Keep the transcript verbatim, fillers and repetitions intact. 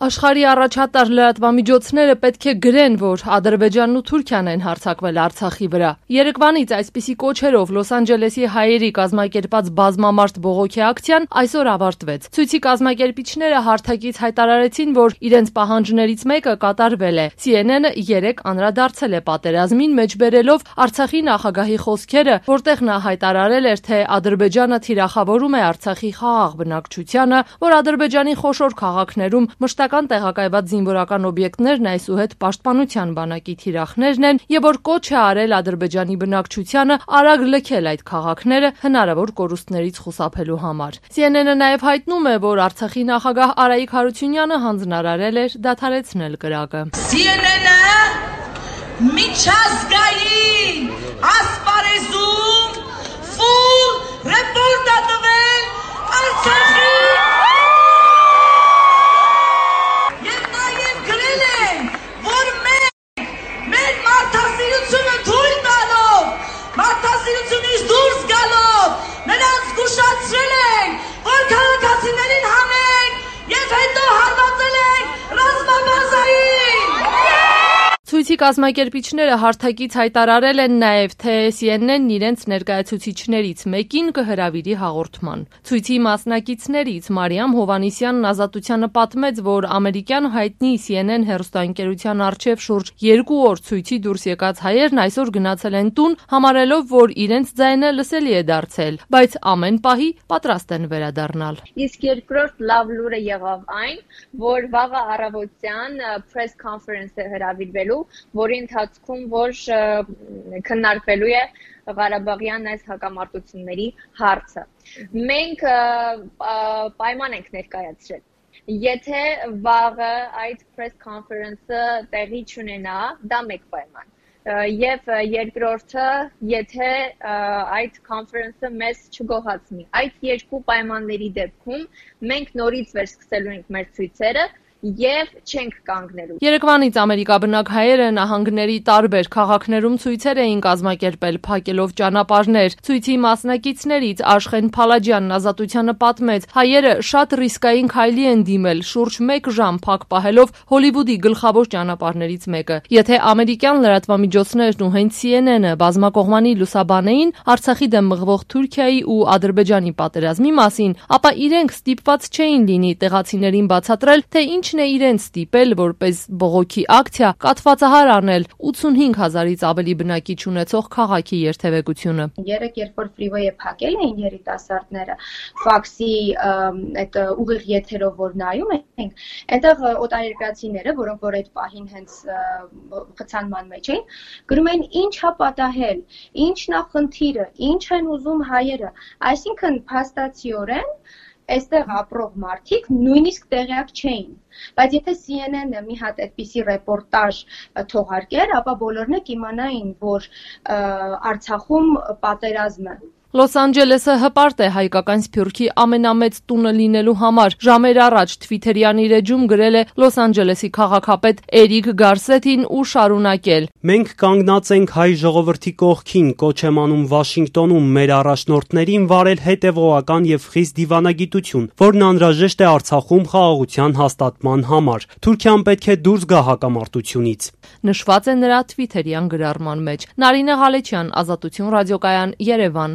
Աշխարհի առաջատար լրատվամիջոցները պետք է գրեն, որ Ադրբեջանն ու Թուրքիան են հարձակվել Արցախի վրա։ Երեկվանից այսպիսի կոչերով Լոս Անջելեսի հայերի կազմակերպած բազմամարդ բողոքի ակցիան այսօր ավարտվեց։ Ցույցի կազմակերպիչները հարթակից հայտարարեցին, որ իրենց պահանջներից մեկը կատարվել է։ Սի Են Են-ը երեկ անդրադարձել է պատերազմին, մեջբերելով Արցախի նախագահի խոսքերը, որտեղ նա հայտարարել էր, թե Ադրբեջանը թիրախավորում է Արցախի խաղաղ բնակչությանը, որ Ադրբեջանի խոշոր քաղաքներում մշտական տեղակայված զինվորական օբյեկտներն այսուհետ պաշտպանության բանակի թիրախներն են եւ որ կոչ է արել Ադրբեջանի բնակչությանը արագ լքել այդ քաղաքները հնարավոր կորուստներից խուսափելու համար։ Սի Են Են-ը նաեւ հայտնում է, որ Արցախի նախագահ Արայիկ Հարությունյանը հանձնարարել էր դադարեցնել կրակը։ Սի Են Են-ը միջազգային ասպարեզում ֆուլ ռեպորտ է տվել Արցախի մարդասիրությունից դուրս գալով նրանց զգուշացրել ենք, որ քաղաքացիներին հանենք և հետո հարվածել ենք ռազմաբազային։ Ցույցի կազմակերպիչները հարթակից հայտարարել են նաև, թե Սի Են Են-ն իրենց ներկայացուցիչներից մեկին կհրավիրի հաղորդման։ Ցույցի մասնակիցներից Մարիամ Հովհաննիսյանն Ազատությանը պատմեց, որ ամերիկյան հայտնի Սի Են Են հեռուստաընկերության առջև շուրջ երկու օր ցույցի դուրս եկած հայերն այսօր գնացել են տուն, համարելով, որ իրենց ձայնը լսելի է դարձել, բայց ամեն պահի պատրաստ են վերադառնալ։ Իսկ երկրորդ լավ լուրը եղավ այն, որ վաղը առավոտյան press conference-ը հրավիրվելու, որի ընթացքում որ քննարկվելու է Ղարաբաղյան այս հակամարտությունների հարցը։ Մենք պայման ենք ներկայացրել։ Եթե վաղը այդ press conference-ը տեղի չունենա, դա մեկ պայման։ Եվ երկրորդը, եթե այդ conference-ը մեզ չգոհացնի։ Այդ երկու պայմանների դեպքում մենք նորից վերսկսելու ենք մեր ցույցերը և չենք կանգնելու։ Երեկվանից ամերիկաբնակ հայերը նահանգների տարբեր քաղաքներում ցույցեր էին կազմակերպել, փակելով ճանապարհներ։ Ցույցի մասնակիցներից Աշխեն Փալաջյանն Ազատությանը պատմեց, հայերը շատ ռիսկային քայլի են դիմել, շուրջ մեկ ժամ փակ պահելով Հոլիվուդի գլխավոր ճանապարհներից մեկը։ Եթե ամերիկյան լրատվամիջոցներն ու հենց Սի Են Են-ը բազմակողմանի լուսաբանեին Արցախի դեմ մղվող Թուրքիայի ու Ադրբեջանի պատերազմի մասին, ապա իրենք ստիպված չէին լինի տեղացիներին բացատրել, թե ինչ Ինչն է իրենց ստիպել, որպես բողոքի ակցիա կաթվածահար անել ութսունհինգ հազարից ավելի բնակիչ ունեցող քաղաքի երթևեկությունը։ Երեք երբ որ ֆրիվեյը փակել էին երիտասարդները, ֆաքսի այդ ուղիղ եթերով որ նայում ենք, այնտեղ օտարերկրացիները, որոնք որ այդ պահին հենց խցանման մեջ էին, գրում էին ինչ հա պատահել, ինչն է խնդիրը, ինչ են ուզում հայերը, այսինքն փաստացիորեն այստեղ ապրող մարդիկ նույնիսկ տեղյակ չէին, բայց եթե Սի Են Են-ը մի հատ այդպիսի ռեպորտաժ թողարկեր, ապա բոլորն էլ կիմանային, որ Արցախում պատերազմ է։ Լոս Անջելեսը հպարտ է հայկական սփյուռքի ամենամեծ տունը լինելու համար։ Ժամեր առաջ Թվիթերյան իր էջում գրել է Լոս Անջելեսի քաղաքապետ Էրիկ Գարսետին ու շարունակել. Մենք կանգնած ենք հայ ժողովրդի կողքին, կոչ եմ անում Վաշինգտոնում մեր առաջնորդներին վարել հետևողական եւ խիստ դիվանագիտություն, որն անհրաժեշտ է Արցախում խաղաղության հաստատման համար։ Թուրքիան պետք է դուրս գա հակամարտությունից։ Նշված է նրա Թվիթերյան գրառման մեջ։ Նարինե Ղալեչյան, Ազատություն ռադիոկայան, Երևան։